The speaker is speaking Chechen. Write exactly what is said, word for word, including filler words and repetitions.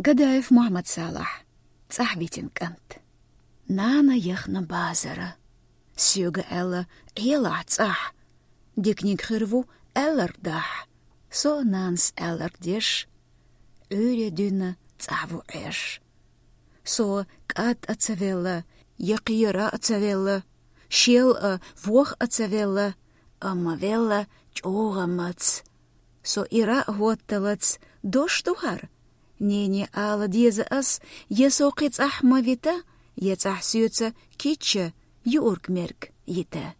Гадаев Мухьмад-Салахь. «ЦӀахь витина кӀант». Нана яхна базара. Соьга аьлла: «Ӏелахь цӀахь». Диканиг хир ву аьлларг дахь. Со нанас аьлларг деш, Ӏуьйре дуьйна цӀахь ву Ӏеш. Со кӀад а ца велла, я кхера а ца велла, шел а, вох а ца велла, амма велла чӀогӀа мац. Со ира а хӀотталац, дош ду хӀара? Нене ала деза ас, я со кхин цӀахь ма вита, я цӀахь соьца кийча юург-мерг йита.